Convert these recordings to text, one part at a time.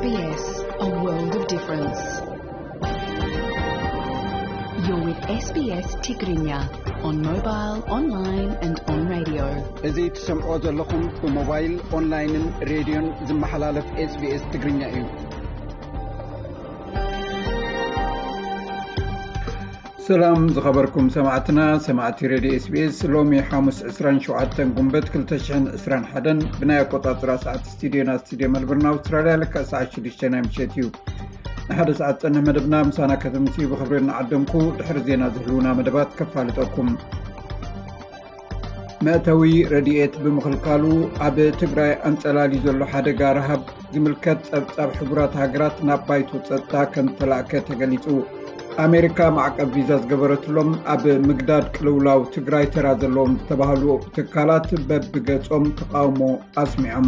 S B S, a world of difference. You're with S B S Tigrinya on mobile, online and on radio. እዚ ትሰምዖ ዘለኹም ብሞባይል፣ ኦንላይንን ሬድዮን ዝመሓላለፍ S B S ትግርኛ እዩ። ሰላም ዝኸበርኩም ሰማዕትና፣ ሰማዕቲ ሬድዮ S B S፣ ሎሚ ሓሙስ ዕስራን ሸውዓተን ጉንበት ክልተ ሽሕን ዕስራን ሓደን ብናይ ኣቆጻጽራ ሰዓት ስቱድዮና፣ ስቱድዮ መልበርን ኣውስትራልያ፣ ልክዕ ሰዓት ሽዱሽተ ናይ ምሸት እዩ። ንሓደ ሰዓት ጸንሕ መደብና ምሳና ከተምስዩ ብኽብሪ እናዓደምኩ፣ ድሕሪ ዜና ዝህልውና መደባት ከፋልጠኩም። መእተዊ ረድኤት ብምኽልካሉ ኣብ ትግራይ ኣንጸላልዩ ዘሎ ሓደጋ ረሃብ ዝምልከት ጸብጻብ ሕቡራት ሃገራት ናብ ባይቶ ጸጥታ ከም ተላእከ ተገሊጹ። ኣሜሪካ ማዕቀብ ቪዛ ዝገበረትሎም ኣብ ምግዳድ ቅልውላው ትግራይ ተራ ዘለዎም ዝተባህሉ ትካላት በብገጾም ተቃውሞ ኣስሚዖም።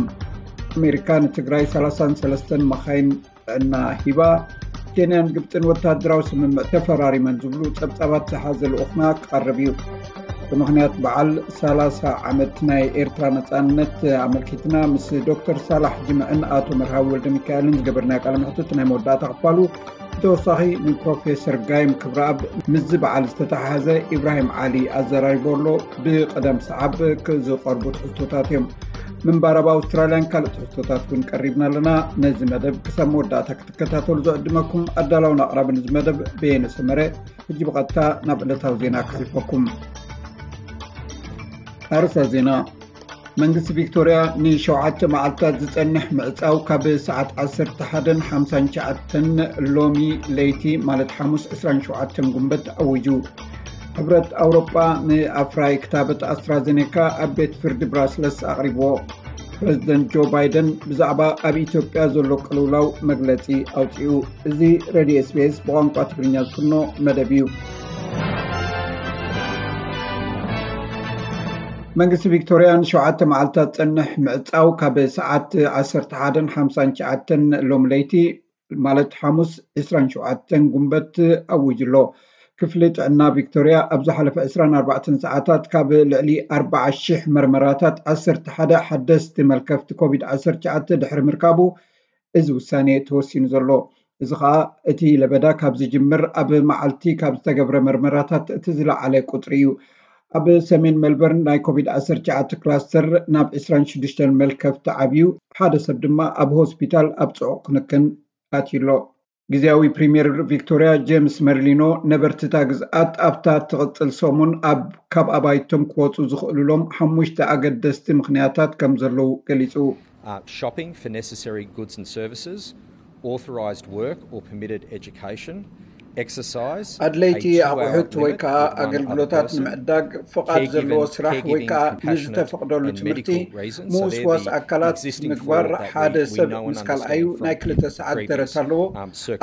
ኣሜሪካ ንትግራይ ሰላሳን ሰለስተን መኻይን ጥዕና ሂባ። ኬንያን ግብፅን ወታደራዊ ስምምዕ ተፈራሪመን ዝብሉ ጸብጻባት ዝሓዘ ልኡኽና ክቐርብ እዩ። ብምኽንያት በዓል ሰላሳ ዓመት ናይ ኤርትራ ነጻነት ኣመልኪትና ምስ ዶክተር ሳላሕ ጅምዕን ኣቶ መርሃዊ ወልደ ሚካኤልን ዝገበርናዮ ቃለ መሕትት ናይ መወዳእታ ክፋሉ ብተወሳኺ ንፕሮፌሰር ጋይም ክብረኣብ ምስዚ በዓል ዝተተሓሓዘ ኢብራሂም ዓሊ ኣዘራሪቦ ኣሎ። ብቐደም ሰዓብ ዝቐርቡ ትሕዝቶታት እዮም። ምንባር ኣብ ኣውስትራልያን ካልእ ትሕዝቶታት እውን ቀሪብና ኣለና። ነዚ መደብ ክሳብ መወዳእታ ክትከታተሉ ዝዕድመኩም ኣዳላውን ኣቕራብን እዚ መደብ በየነ ሰመረ። ሕጂ ብቐጥታ ናብ ዕለታዊ ዜና ከሕልፈኩም። ኣርእስተ ዜና። መንግስቲ ቪክቶርያ ንሸውዓተ መዓልታት ዝጸንሕ ምዕጻው ካብ ሰዓት ዓሰርተ ሓደን ሓምሳን ትሽዓተን ሎሚ ለይቲ ማለት ሓሙስ ዕስራን ሸውዓተን ጉንበት ኣዊጁ። ሕብረት ኣውሮጳ ንኣፍራይ ክታበት ኣስትራዜኔካ ኣብ ቤት ፍርዲ ብራስለስ ኣቕሪብዎ። ፕረዚደንት ጆ ባይደን ብዛዕባ ኣብ ኢትዮጵያ ዘሎ ቅልውላው መግለጺ ኣውጺኡ። እዚ ሬድዮ S B S ብቋንቋ ትግርኛ ዝፍኖ መደብ እዩ። መንግስቲ ቪክቶርያ ንሸውዓተ መዓልታት ጸንሕ ምዕጻው ካብ ሰዓት ዓሰርተ ሓደን ሓምሳን ትሽዓተን ሎም ለይቲ ማለት ሓሙስ ዕስራን ሸውዓተን ጉንበት ኣዊጁ ኣሎ። ክፍሊ ጥዕና ቪክቶርያ ኣብ ዝሓለፈ ዕስራን ኣርባዕተን ሰዓታት ካብ ልዕሊ ኣርባዓ ሽሕ መርመራታት ዓሰርተ ሓደ ሓደስቲ መልከፍቲ ኮቪድ ዓሰርተ ትሽዓተ ድሕሪ ምርካቡ እዚ ውሳኔ ተወሲኑ ዘሎ። እዚ ኸኣ እቲ ለበዳ ካብ ዝጅምር ኣብ መዓልቲ ካብ ዝተገብረ መርመራታት እቲ ዝለዓለ ቁጽሪ እዩ። ኣብ ሰሜን ሜልበርን ናይ ኮቪድ ዓሰርተ ትሽዓተ ክላስተር ናብ ዕስራን ሽዱሽተን መልከፍቲ ዓብዩ፣ ሓደ ሰብ ድማ ኣብ ሆስፒታል ኣብ ጽዑቕ ክንክን ኣትዩ ኣሎ። ግዝያዊ ፕሪምየር ቪክቶርያ ጄምስ መርሊኖ ነበርቲ እታ ግዝኣት ኣብታ ትቕጽል ሰሙን ኣብ ካብ ኣባይቶም ክወጹ ዝኽእሉሎም ሓሙሽተ ኣገደስቲ ምኽንያታት ከም ዘለዉ ገሊጹ። Uh, shopping for necessary goods and services, authorised work or permitted education, exercise, ኣድለይቲ ኣቑሑት ወይ ከዓ ኣገልግሎታት ንምዕዳግ ፍቓድ ዘለዎ ስራሕ ወይ ከዓ ንዝተፈቕደሉ ትምህርቲ፣ ምውስዋስ ኣካላት ምግባር። ሓደ ሰብ ምስ ካልኣዩ ናይ ክልተ ሰዓት ደረት ኣለዎ።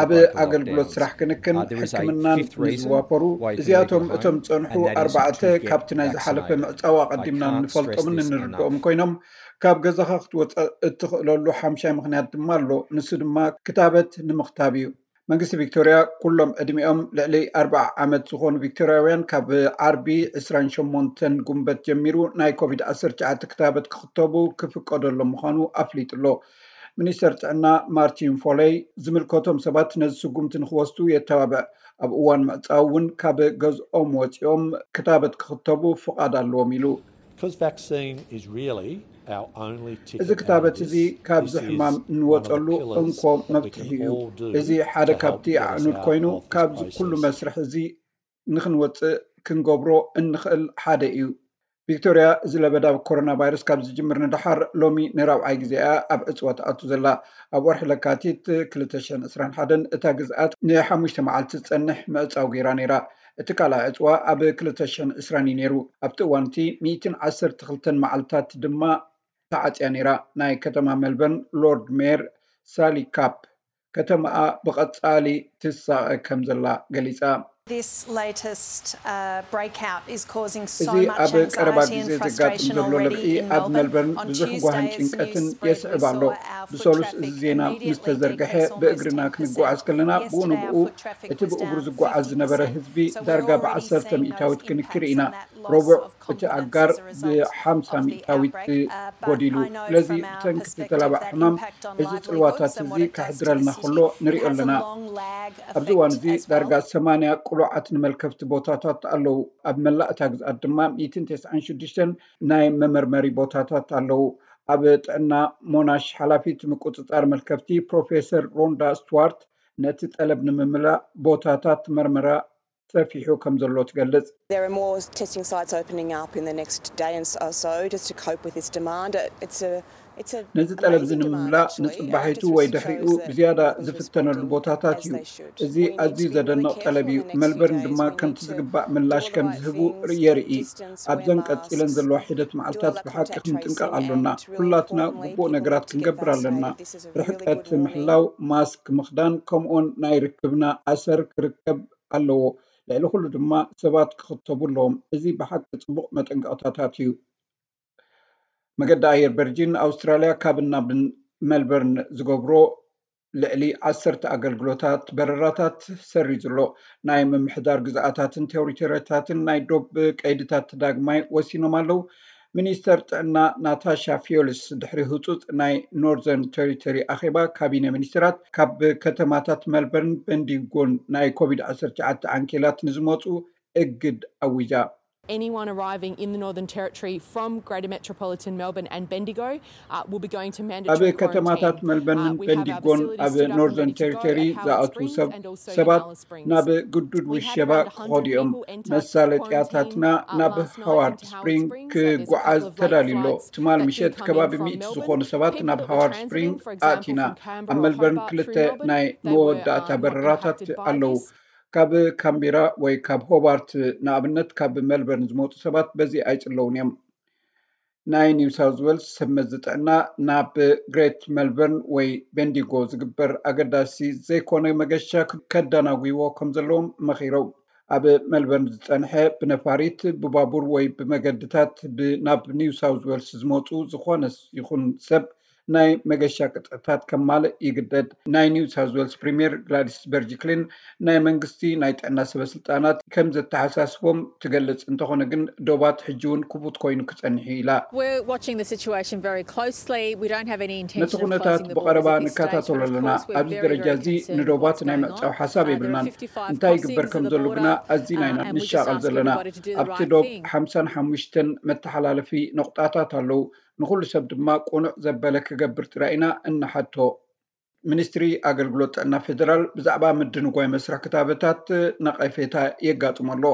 ኣብ ኣገልግሎት ስራሕ ክንክን፣ ሕክምናን ንዝዋፈሩ፣ እዚኣቶም እቶም ዝፀንሑ ኣርባዕተ ካብቲ ናይ ዝሓለፈ ምዕፃው ኣቐዲምና እንፈልጦምን እንርድኦም ኮይኖም፣ ካብ ገዛኻ ክትወፅእ እትኽእለሉ ሓምሻይ ምኽንያት ድማ ኣሎ። ንሱ ድማ ክታበት ንምኽታብ እዩ። መንግስቲ ቪክቶርያ ኩሎም ዕድሚኦም ልዕሊ ኣርብዓ ዓመት ዝኾኑ ቪክቶርያውያን ካብ ዓርቢ ዕስራን ሸሞንተን ጉንበት ጀሚሩ ናይ ኮቪድ ዓሰርተ ትሽዓተ ክታበት ክኽተቡ ክፍቀደሎም ምዃኑ ኣፍሊጡ ኣሎ። ሚኒስተር ጥዕና ማርቲን ፎለይ ዝምልከቶም ሰባት ነዚ ስጉምቲ ንክወስዱ የተባብዕ። ኣብ እዋን ምዕጻው እውን ካብ ገዝኦም ወጺኦም ክታበት ክኽተቡ ፍቓድ ኣለዎም ኢሉ። Because vaccine is really our only ticket እዚ ክታበት እዚ ካብዚ ሕማም እንወፀሉ እንኮ መፍትሒ እዩ። እዚ ሓደ ካብቲ ኣዕኑድ ኮይኑ ካብዚ ኩሉ መስርሕ እዚ ንክንወፅእ ክንገብሮ እንኽእል ሓደ እዩ። ቪክቶርያ እዚ ለበዳ ኮሮና ቫይረስ ካብ ዝጅምር ንደሓር ሎሚ ንራብዓይ ግዜ እያ ኣብ ዕፅዋ ትኣቱ ዘላ። ኣብ ወርሒ ለካቲት ክልተ ሽሕን ዕስራን ሓደን እታ ግዝኣት ንሓሙሽተ መዓልቲ ዝፀንሕ ምዕፃው ገይራ ነይራ። እቲ ካልኣይ ዕፅዋ ኣብ ክልተ ሽሕን ዕስራን እዩ ነይሩ። ኣብቲ እዋን እቲ ሚእትን ዓሰርተ ክልተን መዓልታት ድማ ተዓፅያ ነይራ። ናይ ከተማ ሜልበርን ሎርድ ሜየር ሳሊ ካፕ ከተማኣ ብቐፃሊ ትሳቐ ከም ዘላ ገሊፃ። This latest uh, breakout is causing እዚ so much ኣብ ቀረባ anxiety ግዜ and ዘጋጥም frustration ዘሎ already ለብዒ in ኣብ Melbourne. ሜልበርን On ብዙሕ Tuesday, ጓህን as ጭንቀትን news spread, we የስዕብ ኣሎ። saw our ብሰሉስ እዚ ዜና ምስ ተዘርግሐ ብእግርና ክንጓዓዝ ከለና ብኡ ንብኡ እቲ ብእግሩ ዝጓዓዝ ዝነበረ ህዝቢ ዳርጋ ብዓሰርተ ሚእታዊት ክንክር ኢና። ረቡዕ እቲ ኣጋር ብሓምሳ ሚእታዊት ጎዲሉ። ስለዚ ብሰንኪ እቲ ተላባዕ ሕማም እዚ ጽልዋታት እዚ ከሕድረልና ከሎ ንሪኦ ኣለና። ኣብዚ እዋን እዚ ዳርጋ ሰማንያ ቅሉዓት ንመልከፍቲ ቦታታት ኣለዉ። ኣብ መላእ እታ ግዝኣት ድማ ሚእትን ተስዓን ሽዱሽተን ናይ መመርመሪ ቦታታት ኣለዉ። ኣብ ጥዕና ሞናሽ ሓላፊት ምቁጽጻር መልከፍቲ ፕሮፌሰር ሮንዳ ስቱዋርት ነቲ ጠለብ ንምምላእ ቦታታት መርመራ ሰፊሑ ከም ዘሎ ትገልጽ። There are more testing sites opening up in the next day and so just to cope with this demand. It's a it's a ነዚ ጠለብ እዚ ንምምላእ ንጽባሒቱ ወይ ድሕሪኡ ብዝያዳ ዝፍተነሉ ቦታታት እዩ። እዚ ኣዝዩ ዘደንቕ ጠለብ እዩ። መልበርን ድማ ከምቲ ዝግባእ ምላሽ ከም ዝህቡ የርኢ። ኣብዘን ቀጺለን ዘለዋ ሒደት መዓልታት ብሓቂ ክንጥንቀቕ ኣሎና። ኩላትና ግቡእ ነገራት ክንገብር ኣለና። ርሕቀት ምሕላው፣ ማስክ ምኽዳን፣ ከምኡውን ናይ ርክብና ኣሰር ክርከብ ኣለዎ። ልዕሊ ኩሉ ድማ ሰባት ክኽተቡ ኣለዎም። እዚ ብሓቂ ጽቡቕ መጠንቀቕታታት እዩ። መገዲ ኣየር ቨርጂን ኣውስትራልያ ካብን ናብን መልበርን ዝገብሮ ልዕሊ ዓሰርተ ኣገልግሎታት በረራታት ሰሪዙ ኣሎ። ናይ ምምሕዳር ግዝኣታትን ቴሪቶሪታትን ናይ ዶብ ቀይድታት ዳግማይ ወሲኖም ኣለዉ። ሚኒስተር ጥዕና ናታሻ ፊዮልስ ድሕሪ ህጹጽ ናይ ኖርዘርን ቴሪቶሪ ኣኼባ ካቢነ ሚኒስትራት ካብ ከተማታት መልበርን በንዲንጎን ናይ ኮቪድ ዓሰርተ ትሽዓተ ዓንኬላት ንዝመጹ እግድ ኣዊጃ። Anyone arriving in the Northern Territory from Greater Metropolitan Melbourne and Bendigo uh, will be going to ኣብ mandatory ከተማታት quarantine. መልበርንን በንዲጎን ኣብ ኖርዘርን ቴሪቶሪ ዝኣትዉ ሰብ ሰባት ናብ ግዱድ ውሸባ ክኸዱ እዮም። መሳለጥያታትና ናብ ሃዋርድ ስፕሪንግ ክጓዓዝ ተዳልዩ ኣሎ። ትማል ምሸት ከባቢ ሚእቲ ዝኾኑ ሰባት ናብ ሃዋርድ ስፕሪንግ ኣእቲና። ኣብ መልበርን ክልተ ናይ መወዳእታ በረራታት ኣለዉ። ካብ ካምቢራ ወይ ካብ ሆባርት ንኣብነት ካብ መልበርን ዝመፁ ሰባት በዚ ኣይፅለውን እዮም። ናይ ኒው ሳውዝ ዌልስ ሰብ መዚ ጥዕና ናብ ግሬት መልበርን ወይ ቤንዲጎ ዝግበር ኣገዳሲ ዘይኮነ መገሻ ከዳናጉይዎ ከም ዘለዎም መኺሮም። ኣብ መልበርን ዝፀንሐ ብነፋሪት ብባቡር ወይ ብመገድታት ናብ ኒው ሳውዝ ዌልስ ዝመፁ ዝኾነ ይኹን ሰብ ናይ መገሻ ቅጥዕታት ከማልእ ይግደድ። ናይ ኒው ሳውዝ ዌልስ ፕሪምየር ግላዲስ በርጅክሊን ናይ መንግስቲ ናይ ጥዕና ሰበስልጣናት ከም ዘተሓሳስቦም ትገልጽ። እንተኾነ ግን ዶባት ሕጂ እውን ክፉት ኮይኑ ክጸንሕ እዩ ኢላ። We're watching the situation very closely. We don't have any ነቲ intention of ኩነታት closing the ብቐረባ borders at this stage, ንከታተሎ but of ኣለና። course we're ኣብዚ very, ደረጃ very እዚ concerned with ንዶባት what's ናይ going ምዕጻው on. ሓሳብ Uh, there የብልናን። are fifty-five እንታይ ይግበር crossings ከም of the ዘሎ ግና border, ኣዚና ኢና uh, and we just ንሻቐል ask ዘለና። everybody to do the ኣብቲ right ዶብ thing. ሓምሳን ሓሙሽተን መተሓላለፊ ነቑጣታት ኣለዉ። ንኹሉ ሰብ ድማ ቅኑዕ ዘበለ ክገብር ጥራይ ኢና እንሓቶ። ሚኒስትሪ ኣገልግሎት ጥዕና ፌደራል ብዛዕባ ምድንጓይ መስርሕ ክታበታት ነቐፌታ የጋጥሞ ኣሎ።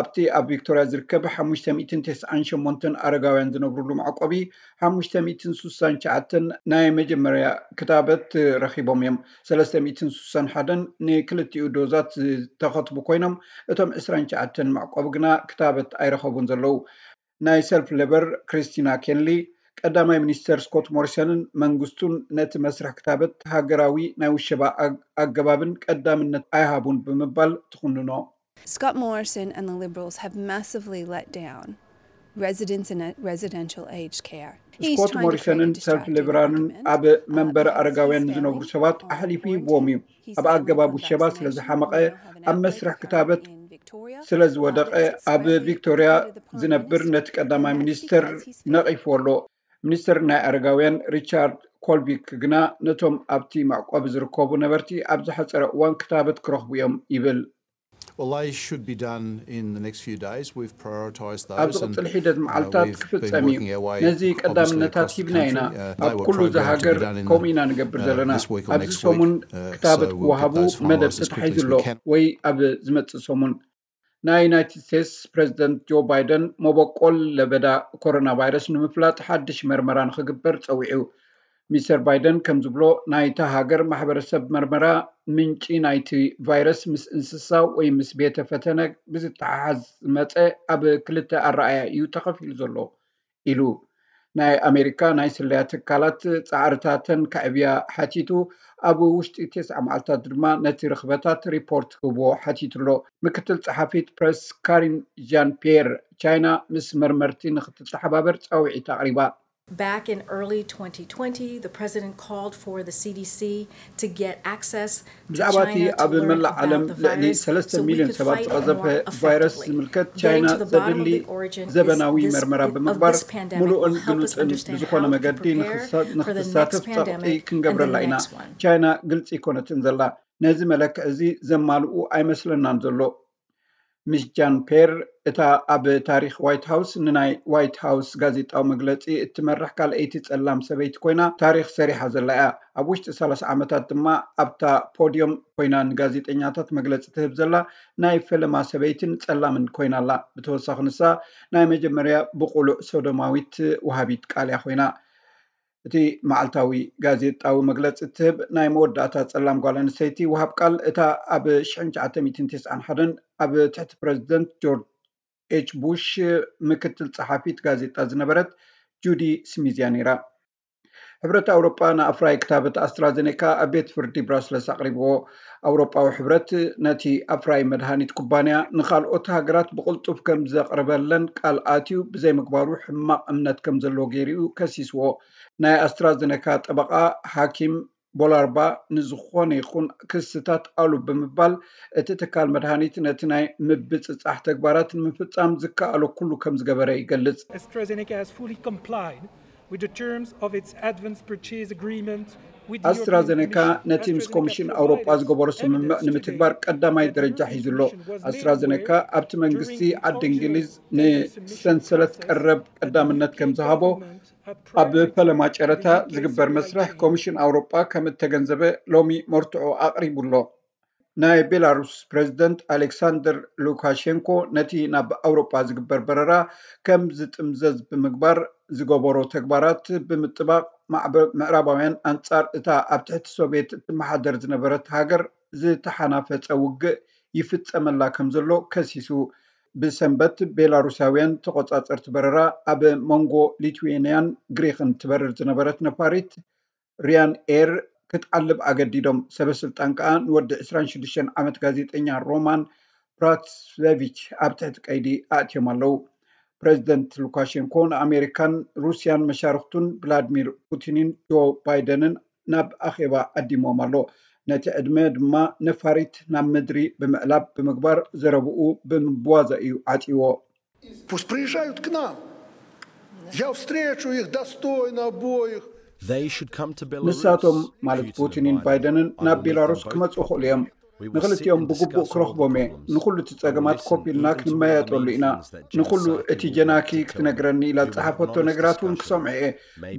ኣብቲ ኣብ ቪክቶርያ ዝርከብ ሓሙሽተ ሚእትን ተስዓን ሸሞንተን ኣረጋውያን ዝነብሩሉ መዕቆቢ ሓሙሽተ ሚእትን ስሳን ትሽዓተን ናይ መጀመርያ ክታበት ረኺቦም እዮም። ሰለስተ ሚእትን ስሳን ሓደን ንክልቲኡ ዶዛት ዝተኸትቡ ኮይኖም፣ እቶም ዕስራን ትሽዓተን መዕቆቢ ግና ክታበት ኣይረኸቡን ዘለዉ። ናይ ሰልፍ ሌበር ክሪስቲና ኬንሊ፣ ቀዳማይ ሚኒስተር ስኮት ሞሪሰንን መንግስቱን ነቲ መስርሕ ክታበት ሃገራዊ ናይ ውሸባ ኣግ- ኣገባብን ቀዳምነት ኣይሃቡን ብምባል ትኹንኖ። Scott Morrison and the Liberals have massively let down residents in a residential aged care. He's ስኮት trying to create a ሞሪሰንን ሰልፍ distracted ሌበራንን argument ኣብ that መንበሪ because ኣረጋውያን he's ዝነብሩ family ሰባት on ኣሕሊፉ quarantine, ይህብዎም እዩ። he's ኣብ family ኣገባብ on ውሸባ ስለ vaccination, ዝሓመቐ we don't have an ኣብ መስርሕ elderly ክታበት care in Victoria. ስለ ዝወደቐ ኣብ ቪክቶሪያ ዝነብር ነቲ ቀዳማይ ሚኒስተር ነቒፍዎ ኣሎ። ሚኒስተር ናይ ኣረጋውያን ሪቻርድ ኮልቪክ ግና ነቶም ኣብቲ መዕቆቢ ዝርከቡ ነበርቲ ኣብ ዝሓጸረ እዋን ክታበት ክረኽቡ እዮም ይብል። Well, they should be done in the next few days. We've prioritised ኣብ those. And, ዝቕጽል ሒደት uh, መዓልታት we've been ክፍጸም እዩ። working our way, ነዚ obviously, ቀዳምነታት across the ሂብና ኢና። country. Uh, they ኣብ were ኩሉ እዚ programmed to be ሃገር done in, ከምኡ ኢና ንገብር uh, ዘለና። this week or ኣብዚ next ሰሙን week. Uh, ክታበት so we'll ክወሃቡ get those መደብ finalised as quickly ተታሒዙ as ኣሎ we can. ወይ ኣብ ዝመጽእ ሰሙን። ናይ ዩናይትድ ስቴትስ ፕሬዚደንት ጆ ባይደን መበቆል ለበዳ ኮሮና ቫይረስ ንምፍላጥ ሓድሽ መርመራ ንክግበር ጸዊዑ። ሚስተር ባይደን ከም ዝብሎ፣ ናይታ ሃገር ማሕበረሰብ መርመራ ምንጪ ናይቲ ቫይረስ ምስ እንስሳ ወይ ምስ ቤተ ፈተነ ብዝተሓሓዝ ዝመጸ ኣብ ክልተ ኣረኣእያ እዩ ተኸፊሉ ዘሎ ኢሉ። ናይ ኣሜሪካ ናይ ስለያ ትካላት ጻዕርታተን ከዕብያ ሓቲቱ፣ ኣብ ውሽጢ ተስዓ መዓልታት ድማ ነቲ ርኽበታት ሪፖርት ክህብዎ ሓቲቱ ኣሎ። ምክትል ጸሓፊት ፕረስ ካሪን ዣን ፒየር፣ ቻይና ምስ መርመርቲ ንክትተሓባበር ጻውዒት ኣቕሪባ። Back in early twenty twenty, the president called for the C D C to get access to ብዛዕባ እቲ ኣብ መላእ ዓለም ልዕሊ ሰለስተ ሚልዮን ሰባት ዝቐዘፈ ቫይረስ ዝምልከት ቻይና ዘድሊ ዘበናዊ መርመራ ብምግባር ምሉእን ግሉጽን ብዝኾነ መገዲ ንክትሳተፍ ጸቕጢ ክንገብረላ ኢና። ቻይና ግልጺ ኣይኮነትን ዘላ። ነዚ መለክዒ እዚ ዘማልኡ ኣይመስለናን ዘሎ። ሚስ ጃን ፔር፣ እታ ኣብ ታሪኽ ዋይት ሃውስ ንናይ ዋይት ሃውስ ጋዜጣዊ መግለጺ እትመርሕ ካልኣይቲ ጸላም ሰበይቲ ኮይና ታሪኽ ሰሪሓ ዘላ እያ። ኣብ ውሽጢ ሰላሳ ዓመታት ድማ ኣብታ ፖድዮም ኮይና ንጋዜጠኛታት መግለጺ ትህብ ዘላ ናይ ፈለማ ሰበይትን ጸላምን ኮይና ኣላ። ብተወሳኺ ንሳ ናይ መጀመርያ ብቑሉዕ ሶዶማዊት ወሃቢት ቃል እያ ኮይና። እቲ መዓልታዊ ጋዜጣዊ መግለጺ እትህብ ናይ መወዳእታ ጸላም ጓል ኣንስተይቲ ወሃብ ቃል እታ ኣብ ሽሕን ትሽዓተ ሚእትን ተስዓን ሓደን ኣብ ትሕቲ ፕረዚደንት ጆርጅ ኤች ቡሽ ምክትል ጸሓፊት ጋዜጣ ዝነበረት ጁዲ ስሚዝ እያ ነይራ። ሕብረት ኣውሮጳ ንኣፍራይ ክታበት ኣስትራዘኔካ ኣብ ቤት ፍርዲ ብራስለስ ኣቕሪብዎ። ኣውሮጳዊ ሕብረት ነቲ ኣፍራይ መድሃኒት ኩባንያ ንኻልኦት ሃገራት ብቕልጡፍ ከም ዘቕርበለን ቃል ኣትዩ ብዘይምግባሩ ሕማቕ እምነት ከም ዘለዎ ገይሩ እዩ ከሲስዎ። ናይ ኣስትራዘኔካ ጠበቓ ሓኪም ቦላርባ ንዝኾነ ይኹን ክስታት ኣሉ ብምባል እቲ ትካል መድሃኒት ነቲ ናይ ምብጽጻሕ ተግባራት ንምፍጻም ዝከኣሎ ኩሉ ከም ዝገበረ ይገልጽ። AstraZeneca has fully complied with the terms of its advance purchase agreement with the European ኣስትራዘኔካ Commission. ነቲ ምስ ኮሚሽን ኣውሮጳ ዝገበሮ ስምምዕ ንምትግባር ቀዳማይ ደረጃ ሒዙ ኣሎ። ኣስትራዘኔካ ኣብቲ መንግስቲ ዓዲ እንግሊዝ ንሰንሰለት ቀረብ ቀዳምነት ከም ዝሃቦ ኣብ ፈለማ ጨረታ ዝግበር መስርሕ ኮሚሽን ኣውሮጳ ከም እተገንዘበ ሎሚ መርትዖ ኣቕሪቡ ኣሎ። ናይ ቤላሩስ ፕረዚደንት ኣሌክሳንደር ሉካሼንኮ ነቲ ናብ ኣውሮጳ ዝግበር በረራ ከም ዝጥምዘዝ ብምግባር ዝገበሮ ተግባራት ብምጥባቕ ማዕበ- ምዕራባውያን ኣንጻር እታ ኣብ ትሕቲ ሶቪየት እትመሓደር ዝነበረት ሃገር ዝተሓናፈጸ ውግእ ይፍጸመላ ከም ዘሎ ከሲሱ። ብሰንበት ቤላሩሳውያን ተቖጻጸርቲ በረራ ኣብ መንጎ ሊትዌንያን ግሪክን ትበርር ዝነበረት ነፋሪት ሪያን ኤር ክትዓልብ ኣገዲዶም። ሰበ ስልጣን ከኣ ንወዲ ዕስራን ሽዱሽተን ዓመት ጋዜጠኛ ሮማን ፕራትስቬቪች ኣብ ትሕቲ ቀይዲ ኣእትዮም ኣለዉ። ፕረዚደንት ሉካሼንኮ ንኣሜሪካን ሩስያን መሻርኽቱን ቭላድሚር ፑቲንን ጆ ባይደንን ናብ ኣኼባ ዓዲሞም ኣሎ። ነቲ ዕድመ ድማ ነፋሪት ናብ ምድሪ ብምዕላብ ብምግባር ዘረብኡ ብምብዋዛ እዩ ዓጽይዎ። Пусть приезжают к нам. Я встречу их достойно обоих. They should come to Belarus. ንሳቶም ማለት ፑቲንን ባይደንን ናብ ቤላሩስ ክመጹ ይኽእሉ እዮም። ንኽልቲኦም ብግቡእ ክረኽቦም እየ። ንኹሉ እቲ ጸገማት ኮፍ ኢልና ክንመያየጠሉ ኢና። ንኹሉ እቲ ጀናኪ ክትነግረኒ ኢላ ዝጸሓፈቶ ነገራት እውን ክሰምዖ እየ።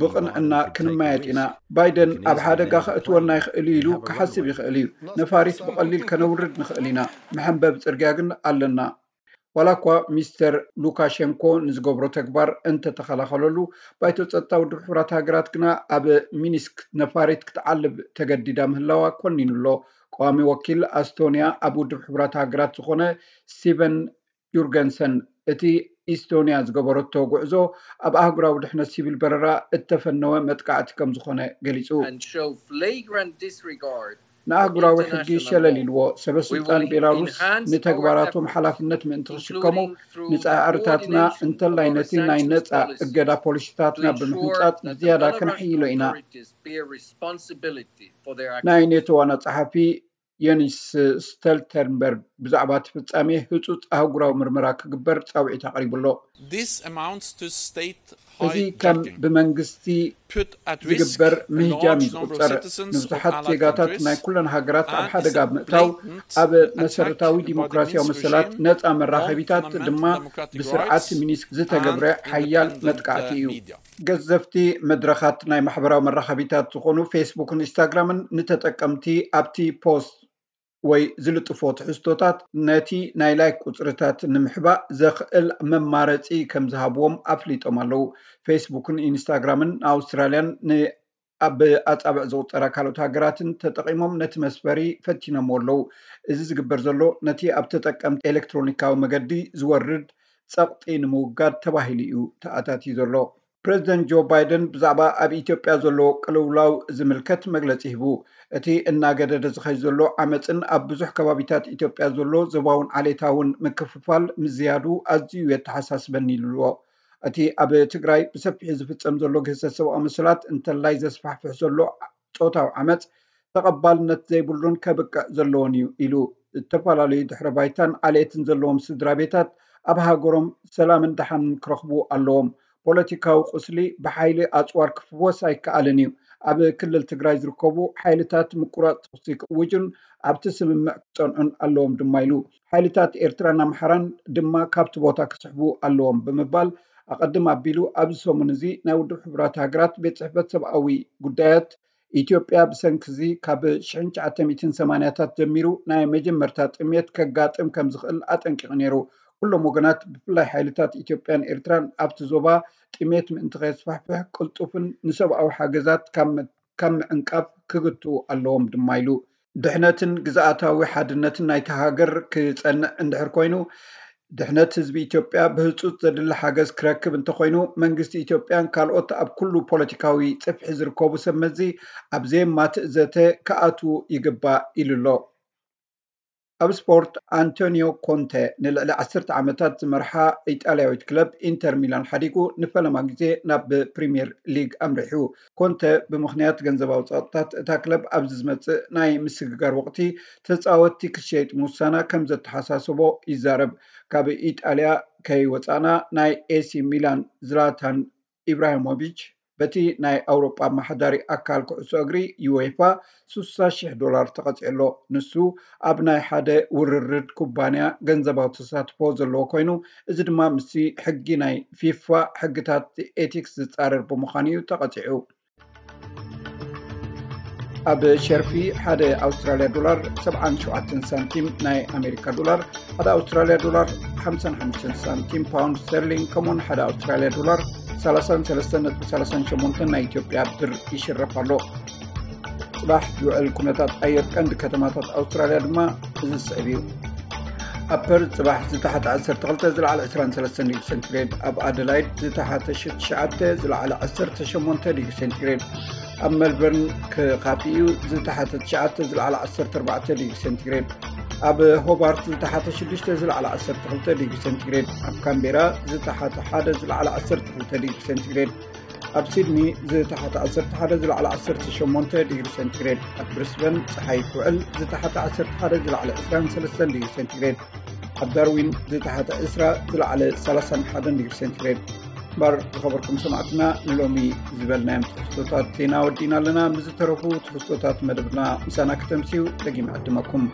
ብቕንዕና ክንመያየጥ ኢና። ባይደን ኣብ ሓደጋ ከእትወና ይኽእል እዩ ኢሉ ክሓስብ ይኽእል እዩ። ነፋሪት ብቐሊል ከነውርድ ንኽእል ኢና። መሐንበቢ ጽርግያ ግን ኣለና። ዋላ እኳ ሚስተር ሉካሸንኮ ንዝገብሮ ተግባር እንተተኸላኸለሉ፣ ባይቶ ጸጥታ ውድብ ሕቡራት ሃገራት ግና ኣብ ሚኒስክ ነፋሪት ክትዓልብ ተገዲዳ ምህላዋ ኮኒኑ ኣሎ። ቀዋሚ ወኪል ኣስቶንያ ኣብ ውድብ ሕቡራት ሃገራት ዝኾነ ስቲቨን ዩርገንሰን፣ እቲ ኢስቶንያ ዝገበረቶ ጉዕዞ ኣብ ኣህጉራዊ ድሕነት ሲቪል በረራ እተፈነወ መጥቃዕቲ ከም ዝኾነ ገሊጹ። and show flagrant disregard ንኣህጉራዊ ሕጊ ሸለል ኢልዎ። ሰበ ስልጣን ቤላሩስ ንተግባራቶም ሓላፍነት ምእንቲ ክሽከሙ፣ ንጻዕርታትና እንተላይ ነቲ ናይ ነጻ እገዳ ፖሊሲታትና ብምሕንጻጽ ብዝያዳ ከነሕይሎ ኢና። ናይ ኔቶ ዋና ጸሓፊ የንስ ስተልተንበርግ ብዛዕባ እቲ ፍጻሜ ህጹጽ ኣህጉራዊ ምርመራ ክግበር ጻውዒት ኣቕሪቡ ኣሎ። This amounts to state እዚ ከም ብመንግስቲ ዝግበር ምህጃም እዩ ዝቁጸር። ንብዙሓት ዜጋታት ናይ ኩለን ሃገራት ኣብ ሓደጋ ብምእታው፣ ኣብ መሰረታዊ ዲሞክራሲያዊ መሰላት ነጻ መራኸቢታት ድማ ብስርዓት ሚኒስክ ዝተገብረ ሓያል መጥቃዕቲ እዩ። ገዘፍቲ መድረኻት ናይ ማሕበራዊ መራኸቢታት ዝኾኑ ፌስቡክን ኢንስታግራምን ንተጠቀምቲ ኣብቲ ፖስት ወይ ዝልጥፎ ትሕዝቶታት ነቲ ናይ ላይክ ቁጽርታት ንምሕባእ ዘኽእል መማረጺ ከም ዝሃብዎም ኣፍሊጦም ኣለዉ። ፌስቡክን ኢንስታግራምን ንኣውስትራልያን ን ኣብ ኣጻብዕ ዝቑጸራ ካልኦት ሃገራትን ተጠቒሞም ነቲ መስፈሪ ፈቲኖምዎ ኣለዉ። እዚ ዝግበር ዘሎ ነቲ ኣብ ተጠቀምቲ ኤሌክትሮኒካዊ መገዲ ዝወርድ ጸቕጢ ንምውጋድ ተባሂሉ እዩ ተኣታትዩ ዘሎ። ፕረዚደንት ጆ ባይደን ብዛዕባ ኣብ ኢትዮጵያ ዘሎ ቅልውላው ዝምልከት መግለጺ ሂቡ። እቲ እናገደደ ዝኸይድ ዘሎ ዓመጽን ኣብ ብዙሕ ከባቢታት ኢትዮጵያ ዘሎ ዞባውን ዓሌታውን ምክፍፋል ምዝያዱ ኣዝዩ የተሓሳስበኒ ኢሉ ኣሎ። እቲ ኣብ ትግራይ ብሰፊሑ ዝፍጸም ዘሎ ግህሰት ሰብኣዊ መሰላት እንተላይ ዘስፋሕፍሕ ዘሎ ጾታዊ ዓመፅ ተቐባልነት ዘይብሉን ከብቅዕ ዘለዎን እዩ ኢሉ። ዝተፈላለዩ ድሕረ ባይታን ዓሌትን ዘለዎም ስድራ ቤታት ኣብ ሃገሮም ሰላምን ደሓንን ክረኽቡ ኣለዎም። ፖለቲካዊ ቁስሊ ብሓይሊ ኣፅዋር ክፍወስ ኣይከኣልን እዩ። ኣብ ክልል ትግራይ ዝርከቡ ሓይልታት ምቁራፅ ተኹሲ ክእውጁን ኣብቲ ስምምዕ ክፀንዑን ኣለዎም ድማ ኢሉ። ሓይልታት ኤርትራን ኣምሓራን ድማ ካብቲ ቦታ ክስሕቡ ኣለዎም ብምባል ኣቐድም ኣቢሉ ኣብዚ ሰሙን እዚ ናይ ውድብ ሕቡራት ሃገራት ቤት ጽሕፈት ሰብኣዊ ጉዳያት ኢትዮጵያ ብሰንኪ እዚ ካብ ሽሕን ትሽዓተ ሚእትን ሰማንያታት ጀሚሩ ናይ መጀመርታ ጥሜት ከጋጥም ከም ዝኽእል ኣጠንቂቑ ነይሩ። ኩሎም ወገናት ብፍላይ ሓይልታት ኢትዮጵያን ኤርትራን ኣብቲ ዞባ ጥሜት ምእንቲ ከየስፋሕፍሕ ቅልጡፍን ንሰብኣዊ ሓገዛት ካብ ካብ ምዕንቃፍ ክግትኡ ኣለዎም ድማ ኢሉ። ድሕነትን ግዝኣታዊ ሓድነትን ናይታ ሃገር ክጸንዕ እንድሕር ኮይኑ ድሕነት ህዝቢ ኢትዮጵያ ብህፁፅ ዘድሊ ሓገዝ ክረክብ እንተኾይኑ መንግስቲ ኢትዮጵያን ካልኦት ኣብ ኩሉ ፖለቲካዊ ፅፍሒ ዝርከቡ ሰብ መዚ ኣብ ዘየማትእ ዘተ ክኣትዉ ይግባእ ኢሉ ኣሎ። ኣብ ስፖርት ኣንቶኒዮ ኮንተ ንልዕሊ ዓሰርተ ዓመታት ዝመርሓ ኢጣልያዊት ክለብ ኢንተር ሚላን ሓዲጉ ንፈለማ ግዜ ናብ ፕሪምየር ሊግ ኣምሪሑ። ኮንተ ብምኽንያት ገንዘባዊ ፀቕጥታት እታ ክለብ ኣብዚ ዝመፅእ ናይ ምስግጋር ወቕቲ ተፃወትቲ ክሸይጥ ምውሳና ከም ዘተሓሳሰቦ ይዛረብ። ካብ ኢጣልያ ከይወፃእና ናይ ኤሲ ሚላን ዝላታን ኢብራሂሞቪች በቲ ናይ ኣውሮጳ ኣመሓዳሪ ኣካል ኩዕሶ እግሪ ዩኤፋ ስሳ ሽሕ ዶላር ተቐፂዑ ኣሎ። ንሱ ኣብ ናይ ሓደ ውርርድ ኩባንያ ገንዘባዊ ተሳትፎ ዘለዎ ኮይኑ እዚ ድማ ምስቲ ሕጊ ናይ ፊፋ ሕግታት ኤቲክስ ዝፃረር ብምዃኑ እዩ ተቐፂዑ። ኣብ ሸርፊ ሓደ ኣውስትራልያ ዶላር ሰብዓን ሸውዓተን ሳንቲም፣ ናይ ኣሜሪካ ዶላር ሓደ ኣውስትራልያ ዶላር ሓምሳን ሓሙሽተን ሳንቲም፣ ፓውንድ ስተርሊንግ ከምኡውን ሓደ ኣውስትራልያ ዶላር ሰላሳን ሰለስተን ነጥቢ ሰላሳን ሸሞንተን ናይ ኢትዮጵያ ብር ይሽረፍ ኣሎ። ጽባሕ ዝውዕል ኩነታት ኣየር ቀንዲ ከተማታት ኣውስትራልያ ድማ እዚ ዝስዕብ እዩ። ኣብ ፐርዝ ጽባሕ ዝተሓተ ዓሰርተ ክልተ ዝለዓለ ዕስራን ሰለስተን ዲግሪ ሴንቲግሬድ፣ ኣብ ኣደላይድ ዝተሓተ ሽዱሽተ ዝለዓለ ዓሰርተ ሸሞንተ ዲግሪ ሴንቲግሬድ፣ ኣብ ሜልበርን ክኻፊ እዩ ዝተሓተ ትሽዓተ ዝለዓለ ዓሰርተ ኣርባዕተ ዲግሪ ሴንቲግሬድ፣ ኣብ ሆባርት ዝተሓተ ሽዱሽተ ዝለዓለ ዓሰርተ ክልተ ዲግሪ ሴንቲግሬድ፣ ኣብ ካምቤራ ዝተሓተ ሓደ ዝለዓለ ዓሰርተ ክልተ ዲግሪ ሴንቲግሬድ፣ ኣብ ሲድኒ ዝተሓተ ዓሰርተ ሓደ ዝለዓለ ዓሰርተ ሸሞንተ ዲግሪ ሴንቲግሬድ፣ ኣብ ብሪስበን ጸሓይ ክውዕል ዝተሓተ ዓሰርተ ሓደ ዝለዓለ ዕስራን ሰለስተን ዲግሪ ሴንቲግሬድ፣ ኣብ ዳርዊን ዝተሓተ ዕስራ ዝለዓለ ሰላሳን ሓደን ዲግሪ ሴንቲግሬድ። እምበር ዝኸበርኩም ሰማዕትና ንሎሚ ዝበልናዮም ትሕዝቶታት ዜና ወዲእና ኣለና። ምስ ዝተረፉ ትሕዝቶታት መደብና ምሳና ከተምስዩ ደጊም ዕድመኩም።